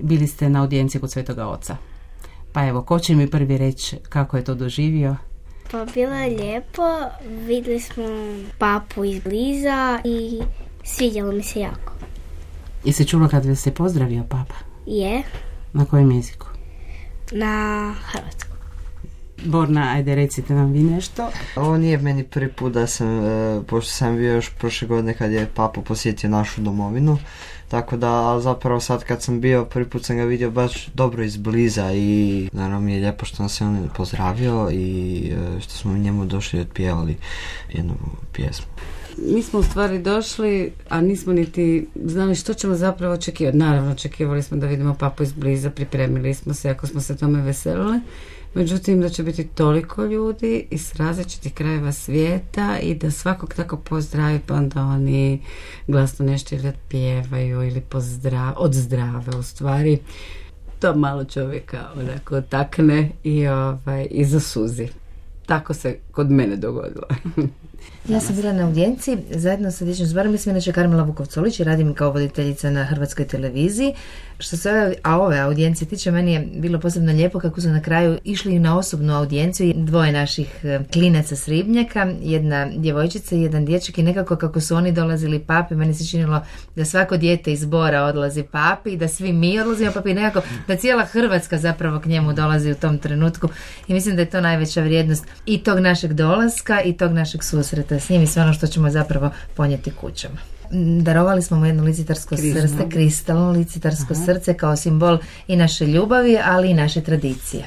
bili ste na audijenciji kod Svetoga Oca. Pa evo, ko će mi prvi reći kako je to doživio? Pa bilo je lijepo, vidjeli smo papu izbliza i svidjelo mi se jako. Jesi čula kad vas je pozdravio papa? Je. Na kojem jeziku? Na hrvatskom. Borna, ajde recite nam vi nešto. Ovo nije meni prvi put da sam, pošto sam bio još prošle godine kad je papa posjetio našu domovinu, tako da zapravo sad kad sam bio, prvi put sam ga vidio baš dobro izbliza i naravno mi je lijepo što nas je on pozdravio i što smo njemu došli i otpjevali jednu pjesmu. Mi smo u stvari došli, a nismo niti znali što ćemo zapravo očekivati. Naravno, očekivali smo da vidimo papu izbliza, pripremili smo se, ako smo se tome veselili. Međutim, da će biti toliko ljudi iz različitih krajeva svijeta i da svakog tako pozdravi, pa onda oni glasno nešto ili pjevaju ili odzdrave u stvari. To malo čovjeka onako takne i zasuzi. Tako se kod mene dogodilo. Ja sam bila na audijenciji zajedno sa dječjim zborom, mislim inače Karmela Vukovcolić i radim kao voditeljica na Hrvatskoj televiziji. Što se ove audijencije tiče, meni je bilo posebno lijepo kako su na kraju išli na osobnu audijenciju dvoje naših klinaca s Ribnjaka, jedna djevojčica i jedan dječak i nekako kako su oni dolazili papi, meni se činilo da svako dijete iz Bora odlazi papi i da svi mi odlazimo papi i nekako da cijela Hrvatska zapravo k njemu dolazi u tom trenutku i mislim da je to najveća vrijednost i tog našeg dolaska i tog našeg susreta s njim i sve ono što ćemo zapravo ponijeti kućama. Darovali smo mu jedno licitarsko srce, kristalno licitarsko srce kao simbol i naše ljubavi, ali i naše tradicije.